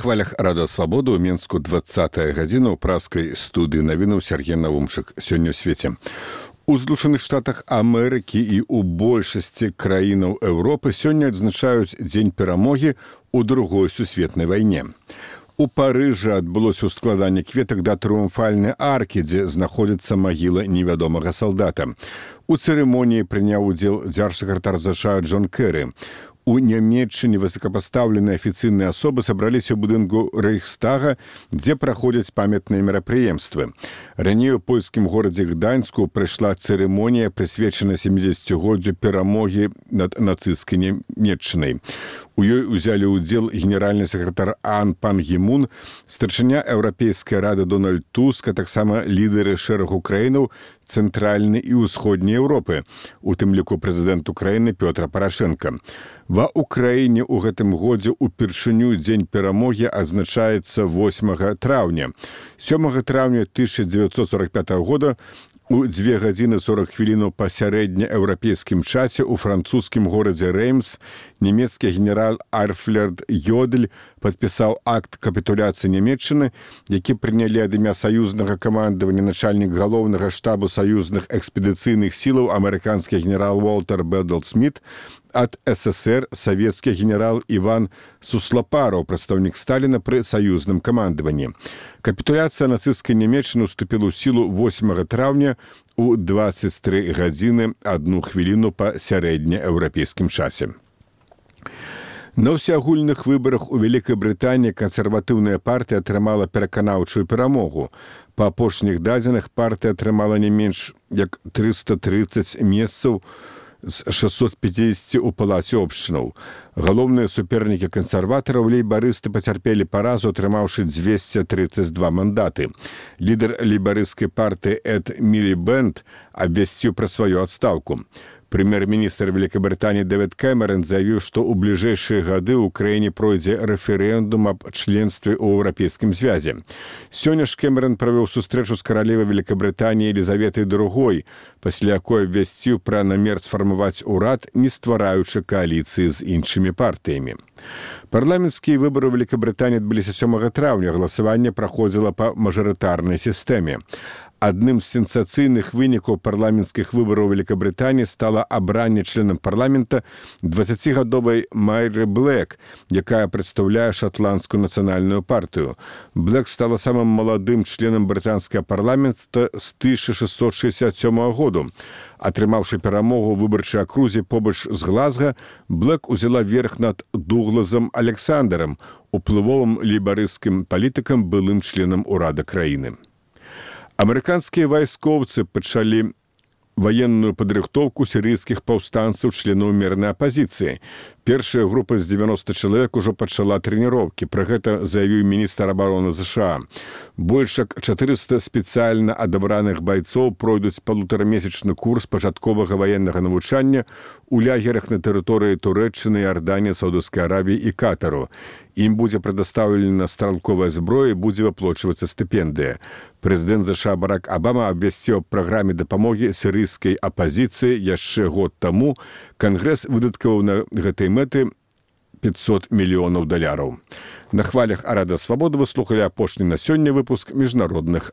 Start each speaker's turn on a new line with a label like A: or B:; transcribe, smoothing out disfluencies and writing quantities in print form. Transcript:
A: хвалях Рада Свабоды ў Менску 20-я гадзіна ў праскай студыі навінаў Сергей Навумчык. Сёння ў свеце. У Злучаных Штатах Амерыкі і ў большасці краінаў Еўропы сёння адзначаюць Дзень перамогі ў Другой сусветнай вайне. У Парыжы адбылося ўскладанне кветак да трыумфальнай аркі, дзе знаходзіцца магіла невядомага салдата. У цырымоніі прыняў удзел дзяржсакратар ЗША Джон Кэры. У Нямецчыне высокапастаўленыя афіцыйныя асобы сабраліся ў будынку Рэйхстага, дзе праходзяць памятныя мерапрыемствы. Раней у польскім горадзе Гданьску прыйшла цырымонія, прысвечаная 70-годдзю перамогі над нацысцкай Нямецчынай. У ёй узялі ўдзел генеральны сакратар Ан Пан Гі Мун, старшыня Еўрапейскай рады Дональд Туск, а таксама лідары шэрагу краінаў Цэнтральнай і ўсходняй Еўропы, у тым ліку прэзідэнт Украіны Пётр Парашэнка. Ва Украіне ў гэтым годзе упершыню Дзень перамогі адзначаецца 8 траўня. 7 траўня 1945 года у 2 гадзіны 40 хвілінаў па сярэднееўрапейскім часе ў французскім горадзе Рэймс нямецкі генерал Альфред Йодель падпісаў акт капітуляцыі Нямецчыны, які прынялі ад імя саюзнага камандавання начальнік галоўнага штабу саюзных экспедыцыйных сілаў амерыканскі генерал Уолтер Бэддл Сміт, ад СССР савецкі генерал Іван Суслапараў, прадстаўнік Сталіна пры саюзным камандаванні. Капітуляцыя нацысцкай Нямецчыны ўступіла ў сілу 8 траўня у 23 гадзіны 1 хвіліну па сярэднееўрапейскім часе. На ўсеагульных выбарах у Вялікай Брытаніі кансерватыўная партыя атрымала пераканаўчую перамогу. Па апошніх дадзеных партыя атрымала не менш як 330 месцаў з 650 у палаце общынаў. Галоўныя супернікі кансерватараў лейбарысты пацярпелі паразу, атрымаўшы 232 мандаты. Лідар лейбарысцкай партыі Эд Мілібэнд абвясціў пра сваю адстаўку. Прэм'ер-міністр Вялікабрытаніі Дэвід Кэмерон заявіў, што ў бліжэйшыя гады ў краіне пройдзе рэферэндум аб членстве ў Еўрапейскім звязе. Сёння ж Кэмерон правёў сустрэчу з каралевай Вялікабрытаніі Елізаветай II, пасля якой абвясціў пра намер сфармаваць урад, не ствараючы кааліцыі з іншымі партыямі. Парламенцкія выбары ў Вялікабрытаніі адбыліся 7 траўня. Галасаванне праходзіла па мажарытарнай сістэме. Адным з сенсацыйных вынікаў парламенцкіх выбараў Вялікабрытаніі стала абранне членам парламента 20гадовай Майры Блэк, якая прадстаўляе шатландскую нацыянальную партыю. Блэк стала самым маладым членам брытанскага парламента з 1667 году. Атрымаўшы перамогу ў выбарчай акрузе побач з Глазга, Блэк узяла верх над Дугласам Александрам, уплывовым лейбарысцкім палітыкам, былым членам урада краіны. Амерыканскія вайскоўцы пачалі ваенную падрыхтоўку сірыйскіх паўстанцаў, членаў мірнай апазіцыі. Першая група з 90 чалавек ужо пачала трэніроўкі. Пра гэта заявіў міністр абароны ЗША. Больш як 400 спецыяльна адабраных байцоў пройдуць палутарамесячны курс пачатковага ваеннага навучання ў лагерах на тэрыторыі Турэччыны, Іорданіі, Саўдаўскай Аравіі і Катару. Ім будзе прадастаўлена стралковая зброя і будзе выплачвацца стыпендыя. Прэзідэнт ЗША Барак Абама абвясціў аб праграме дапамогі сірыйскай апазіцыі яшчэ год таму. Кангрэс выдаткаваў на гэтай мэты $500 мільёнаў. На хвалях Рада Свабоды вы слухалі апошні на сёння выпуск міжнародных